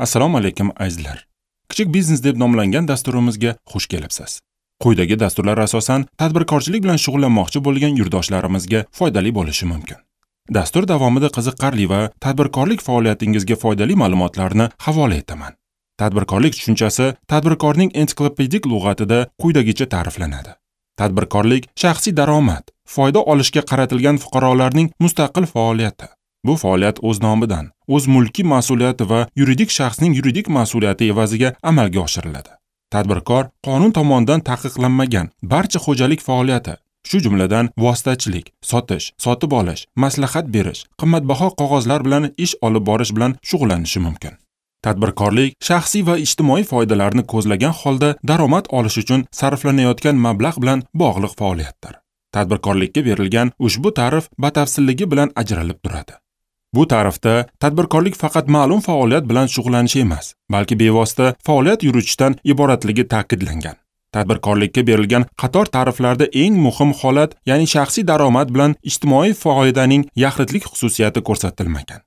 Assalomu alaykum azizlar. Kichik biznes deb nomlangan dasturimizga xush kelibsiz. Quyidagi dasturlar asosan tadbirkorchilik bilan shug'ullanmoqchi bo'lgan yurtdoshlarimizga foydali bo'lishi mumkin. Dastur davomida qiziqarli va tadbirkorlik faoliyatingizga foydali ma'lumotlarni havola etaman. Tadbirkorlik tushunchasi tadbirkorning ensiklopedik lug'atida quyidagicha ta'riflanadi. Tadbirkorlik shaxsiy daromad, foyda olishga qaratilgan fuqarolarning mustaqil faoliyati. Bu faoliyat o'z nomidan, o'z mulkiy mas'uliyati va yuridik shaxsning yuridik mas'uliyati evaziga amalga oshiriladi. Tadbirkor qonun tomonidan taqiqlanmagan barcha xo'jalik faoliyati, shu jumladan vositachilik, sotish, sotib olish, maslahat berish, qimmatbaho qog'ozlar bilan ish olib borish bilan shug'ullanishi mumkin. Tadbirkorlik shaxsiy va ijtimoiy foydalarni ko'zlagan holda daromad olish uchun sarflanayotgan mablag' bilan bog'liq faoliyatdir. Tadbirkorlikka berilgan ushbu ta'rif batafsilligi bilan ajralib turadi. Bu ta'rifda tadbirkorlik faqat ma'lum faoliyat bilan shug'ullanish emas, balki bevosita faoliyat yuritishdan iboratligi ta'kidlangan. Tadbirkorlikka berilgan qator ta'riflarda eng muhim holat, ya'ni shaxsiy daromad bilan ijtimoiy foydaning yaxlitlik xususiyati ko'rsatilmagan.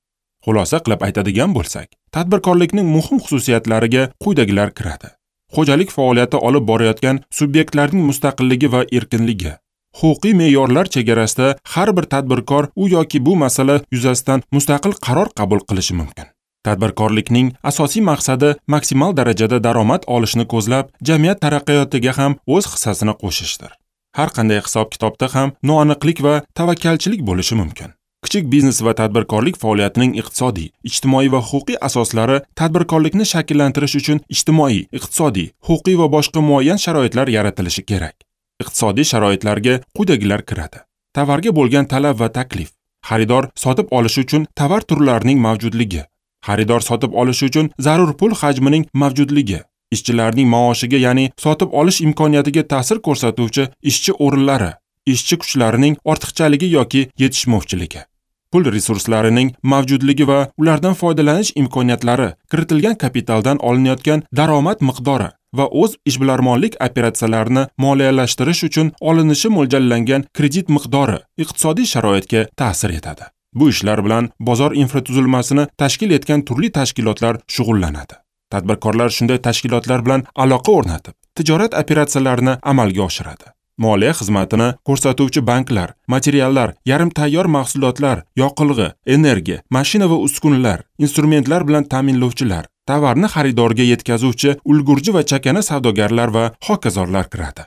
Xulosa qilib aytadigan bo'lsak, tadbirkorlikning muhim xususiyatlariga quyidagilar kiradi. Xo'jalik faoliyati olib borayotgan subyektlarning mustaqilligi va erkinligi. Huquqiy me'yorlar chegarasida har bir tadbirkor u yoki bu masala yuzasidan mustaqil qaror qabul qilishi mumkin. Tadbirkorlikning asosiy maqsadi maksimal darajada daromad olishni ko'zlab, jamiyat taraqqiyotiga ham o'z hissasini qo'shishdir. Har qanday hisob-kitobda ham noaniqlik va tavakkalchilik bo'lishi mumkin. Kichik biznes va tadbirkorlik faoliyatining iqtisodiy, ijtimoiy va huquqiy asoslari tadbirkorlikni shakllantirish uchun ijtimoiy, iqtisodiy, huquqiy va boshqa muayyan sharoitlar yaratilishi kerak. Iqtisodiy sharoitlarga quyidagilar kiradi. Tovarga bo'lgan talab va taklif, xaridor sotib olishi uchun tovar turlarining mavjudligi, xaridor sotib olishi uchun zarur pul hajmining mavjudligi, ishchilarning maoshiga, ya'ni sotib olish imkoniyatiga ta'sir ko'rsatuvchi ishchi o'rinlari, ishchi kuchlarining ortiqchaligi yoki yetishmovchiligi, pul resurslarining mavjudligi va ulardan foydalanish imkoniyatlari, kiritilgan kapitaldan olinayotgan daromad miqdori va o'z ishbilarmonlik operatsiyalarini moliyalashtirish uchun olinishi mo'ljallangan kredit miqdori iqtisodiy sharoitga ta'sir etadi. Bu ishlar bilan bozor infratuzilmasini tashkil etgan turli tashkilotlar shug'ullanadi. Tadbirkorlar shunday tashkilotlar bilan aloqa o'rnatib, tijorat operatsiyalarini amalga oshiradi. Moliya xizmatini ko'rsatuvchi banklar, materiallar, yarim tayyor mahsulotlar, yoqilg'i, energiya, mashina va uskunalar, instrumentlar bilan ta'minlovchilar, tovarni xaridorga yetkazuvchi ulgurji va chakana savdogarlar va hokazolar kiradi.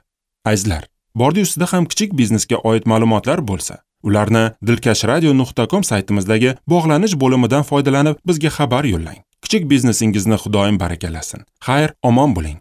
Azizlar, bordi ustida ham kichik biznesga oid ma'lumotlar bo'lsa, ularni dilkashradio.com saytimizdagi bog'lanish bo'limidan foydalanib bizga xabar yo'llang. Kichik biznesingizni Xudoyim barakalasin. Xayr, omon bo'ling.